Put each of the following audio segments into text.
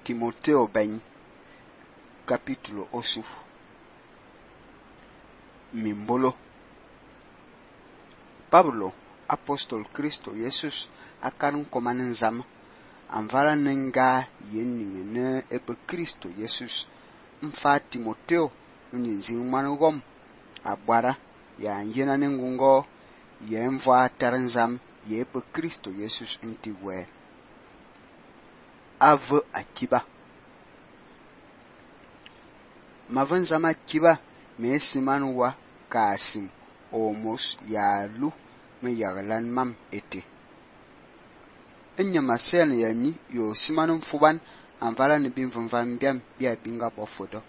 Timoteo ben capítulo 8 Mimbolo Pablo apostol Cristo Jesus akan komanin zam anvala nenga yenning ne ebe Cristo Jesus mfa Timoteo nyin manugom abara ya yena nengungo ye mva taranzam ye ebe Cristo Jesus intiwe ave akiba mavanzama akiba me simanwa kasim omos ya lu me yaglan mam ete enya masen yani yo simanum fuban anvala ne bin van biam bia binga bofodo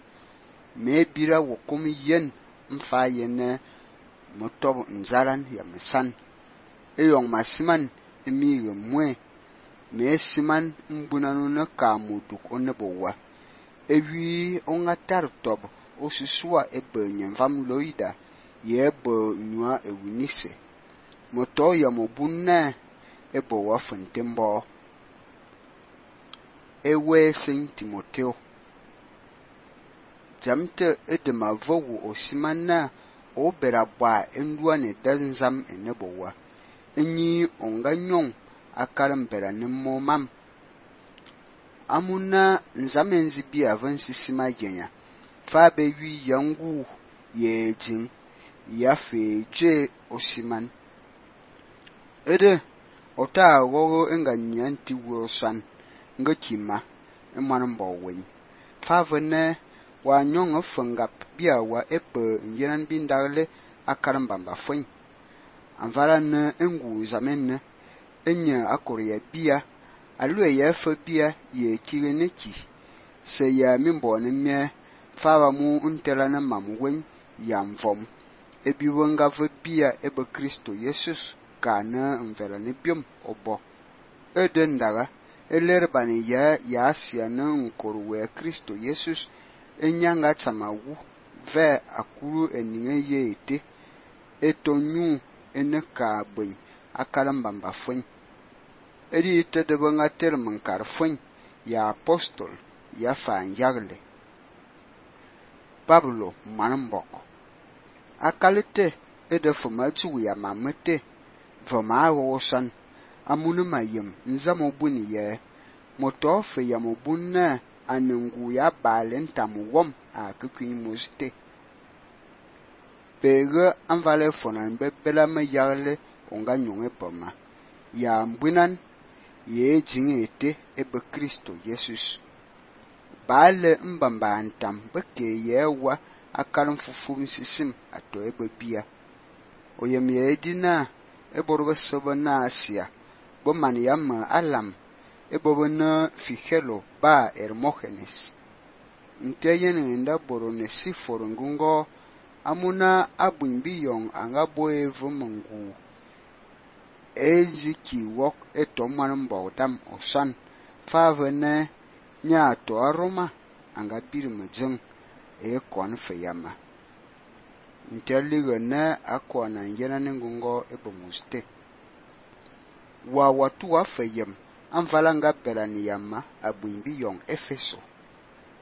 me bira wokum yen mfa yen motob nzaran ya mesan eyong masiman emi mwe me siman mbunanu na kamuduk onebowa ewi ongatar tob osusua ebe nyemvam loida yebe nua ewinise moto ya mobunna ebo wa fontembo ewe Saint Timoteo jamte edema vowu osimanna oberabwa endua ne danzam enebowa enyi onganyon akarambera nemo mam amuna nzamenzi bia vansisima yenya fa be wi yangu yejin ya feje osiman ede ota wogo enganyanti wosan ngakima emanambo wen fa vene wa nyong ofangap bia wa epe yenan bindagle akarambamba fwen anvala ne engu zamenne enya akoria bia alue ya fa bia ye kireneki se ya mimbo ne mie fa mu untela na mamwen yamvom ebi wonga fa bia ebe Kristo Jesus kana mvela ne biom obo edendaga elerbani ya asia na nkorwe Kristo Jesus enyanga tsamawu ve akuru eninge yete etonyu eneka bwen akalambamba fwen edi tedebe nga termen karfwen ya apostol ya fan yagle Pablo manambok akalite edefuma tu ya mamete voma wosan amunu mayem nzamo buni ye motofe ya mobunna anungu ya balen tamuwom a kukwin mosite pege anvale fonan bebela me yagle onga nyonge poma ya mbunan ye jingete ebe Kristo Jesus bale mbamba antam beke yewa akarum fufum sisim ato ebe bia oyem ye edina eborbe sobo na asia bo man yam alam ebobo na fihelo ba Hermogenes nteyen nda borone sifor ngungo amuna abunbiyong anga boevu mungu eziki wok etomman mbawdam osan favene nya to aroma anga birmujeng e kon feyama nteligo na akona yena ngungo ebomuste wa watu wa feyem anvalanga berani yama abunbiyong Efeso